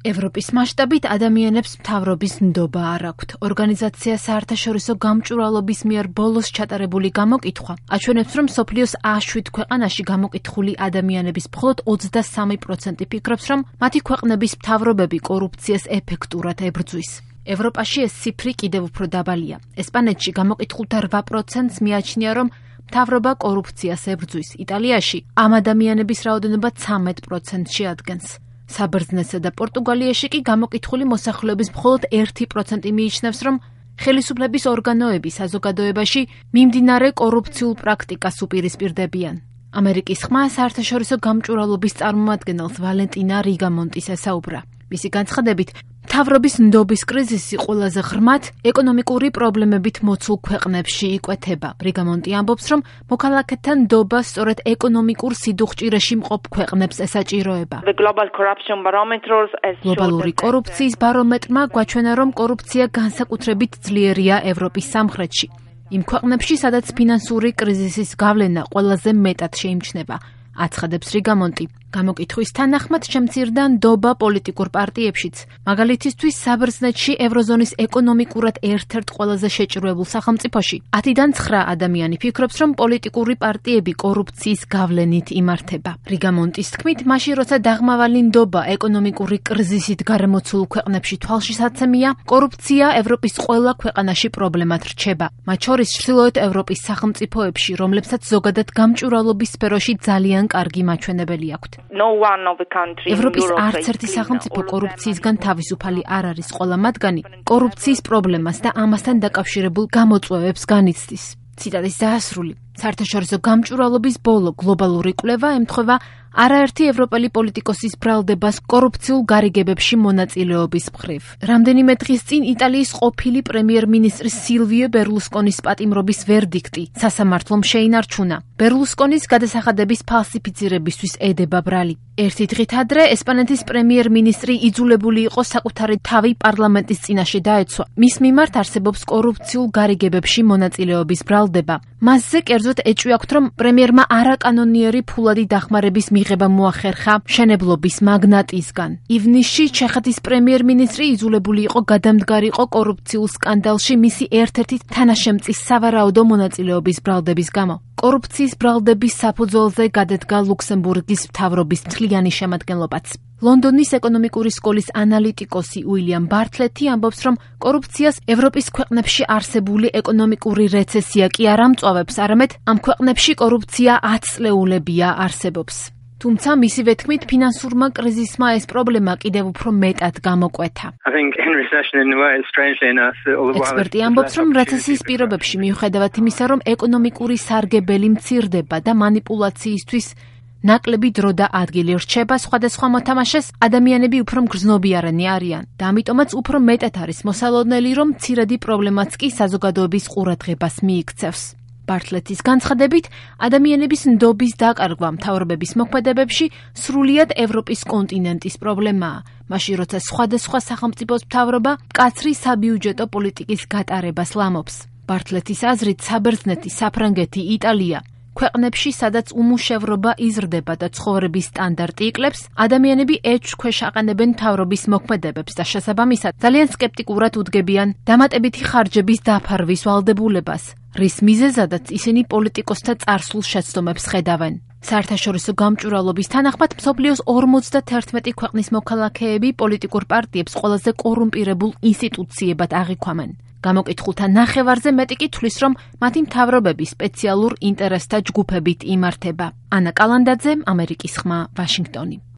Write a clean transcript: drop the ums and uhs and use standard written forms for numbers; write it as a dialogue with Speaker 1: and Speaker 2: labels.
Speaker 1: ევროპის მასშტაბით ადამიანებს მთავრობის ნდობა არ აქვთ. ორგანიზაცია საერთაშორისო გამჭვირვალობის მიერ ბოლოს ჩატარებული გამოკითხვა აჩვენებს, რომ მსოფლიოს 107 ქვეყანაში გამოკითხული ადამიანების მხოლოდ 23% ფიქრობს, რომ მათი ქვეყნების მთავრობები კორუფციას ეფექტურად ებრძვის. ევროპაში ეს ციფრი კიდევ უფრო დაბალია. ესპანეთში გამოკითხულთა 8%-ს მიაჩნია, რომ მთავრობა კორუფციას ებრძვის. იტალიაში ამ ადამიანების რაოდენობა 13%-ში ადგენს. საბერძნეთსა და პორტუგალიაში კი გამოკითხული მოსახლეობის მხოლოდ 1% მიიჩნევს, რომ ხელისუფლების ორგანოები საზოგადოებაში მიმდინარე კორუფციულ პრაქტიკას უპირისპირდებიან. ამერიკის ხმა საერთაშორისო გამჭვირვალობის წარმომადგენელს ვალენტინა რიგამონტის ესაუბრა. მისი განცხადებით, მთავრობის ნდობის კრიზისი ყველაზე ღრმად ეკონომიკური პრობლემებით მოცულ ქვეყნებში იკვეთება. რიგამონტი ამბობს, რომ მოქალაქეთა ნდობა სწორედ ეკონომიკურ სიდუხჭირეში მყოფ ქვეყნებს ესაჭიროება. გლობალური კორუფციის ბარომეტრმა გვაჩვენა, რომ კორუფცია განსაკუთრებით ძლიერია ევროპის სამხრეთში. იმ ქვეყნებში, სადაც ფინანსური კრიზისის გავლენა ყველაზე მეტად შეიმჩნევა. აცხადებს რიგამონტი. გამოკითხვის თანახმად შემცირდა ნდობა პოლიტიკურ პარტიებშიც. მაგალითისთვის, საბერძნეთში ევროზონის ეკონომიკურად ერთ-ერთ ყველაზე შეჭრუებულ სახელმწიფოში 10-დან 9 ადამიანი ფიქრობს, რომ პოლიტიკური პარტიები კორუფციის გავლენით იმართება. რიგამონტის თქმით, მაშინ როცა დაღმავალი ნდობა ეკონომიკური კრიზისით გარემოცულ ქვეყნებში თვალშისაცემია, კორუფცია ევროპის ყველა ქვეყანაში პრობლემად რჩება. მათ შორის ჩრდილოეთ ევროპის სახელმწიფოებში, რომლებსაც ზოგადად გამჭვირვალობის სფეროში ძალიან კარგი მაჩვენებელი აქვთ. ევროპის არც ერთი სახელმწიფო კორუფციისგან თავისუფალი არ არის. ყველა მათგანი კორუფციის პრობლემას და ამასთან დაკავშირებულ გამოწვევებს განიცდის. ციტატის დასასრული. საერთაშორისო გამჭვირვალობის ბოლო გლობალური კვლევა ემთხვევა არაერთი ევროპელი პოლიტიკოსის ბრალდებას კორუფციულ გარიგებებში მონაწილეობის მხრივ. რამდენიმე დღის წინ იტალიის ყოფილი პრემიერ-მინისტრის სილვიო ბერლუსკონის პატიმრობის ვერდიქტი სასამართლომ შეინარჩუნა. ბერლუსკონის გადასახადების ფალსიფიცირებისთვის ედება ბრალი. ერთი დღით ადრე ესპანეთის პრემიერ-მინისტრი იძულებული იყო საკუთარი თავი პარლამენტის წინაშე დაეცვა. მის მიმართ არსებობს კორუფციულ გარიგებებში მონაწილეობის ბრალდება. მასზე კერძოდ ეჭვი აქვთ, რომ პრემიერმა არაკანონიერი ფულადი დახმარების მიღება მოახერხა მშენებლობის მაგნატისგან. ივნისში ჩეხეთის პრემიერ-მინისტრი იძულებული იყო გადამდგარიყო კორუფციულ სკანდალში მისი ერთ-ერთი თანაშემწის სავარაუდო მონაწილეობის ბრალდების გამო. კორუფციის ბრალდების საფუძველზე გადადგა ლუქსემბურგის მთავრობის მთლიანი შემადგენლობაც. ლონდონის ეკონომიკური სკოლის ანალიტიკოსი უილიამ ბარტლეტი ამბობს, რომ კორუფციას ევროპის ქვეყნებში არსებული ეკონომიკური რეცესია კი არ ამწვავებს, არამედ ამ ქვეყნებში კორუფცია 10 წლეულებია არსებობს. თუმცა მისივე თქმით, ფინანსურმა კრიზისმა ეს პრობლემა კიდევ უფრო მეტად გამოკვეთა. ექსპერტი ამბობს, რომ რეცესიის პირობებში მიუხედავად იმისა, რომ ეკონომიკური სარგებელი მცირდება და манипуляციისთვის ნაკლები დრო და ადგილი რჩება სხვადასხვა მოთამაშეს, ადამიანები უფრო მგრძნობიარენი არიან და ამიტომაც უფრო მეტად არის მოსალოდნელი, რომ მცირედი პრობლემაც კი საზოგადოების ყურადღებას მიიქცევს. ბარტლეტის განცხადებით, ადამიანების ნდობის დაკარგვა მთავრობების მოქმედებებში სრულიად ევროპის კონტინენტის პრობლემაა. მაშინ როცა სხვადასხვა სახელმწიფოს მთავრობა მკაცრი საბიუჯეტო პოლიტიკის გატარებას ლამობს. ბარტლეტის აზრით, საბერძნეთი, საფრანგეთი, იტალია ქვეყნებში, სადაც უმუშევრობა იზრდება და ცხოვრების სტანდარტი იკლებს, ადამიანები ეჭვს ქვეშ აყენებენ მთავრობის მოქმედებებს და შესაბამისად ძალიან სკეპტიკურად უდგებიან დამატებითი ხარჯების დაფარვის ვალდებულებას, რის მიზეზადაც ისინი პოლიტიკოსთა წარსულ შეცდომებს ხედავენ. საერთაშორისო გამჭვირვალობის თანახმად მსოფლიოს 51 ქვეყნის მოქალაქეები პოლიტიკურ პარტიებს ყველაზე კორუმპირებულ ინსტიტუციებად აღიქვამენ. გამოკითხულთა ნახევარზე მეტი კი თვლის, რომ მათი მთავრობები სპეციალურ ინტერესთა ჯგუფებით იმართება. ანა კალანდაძე, ამერიკის ხმა, ვაშინგტონი.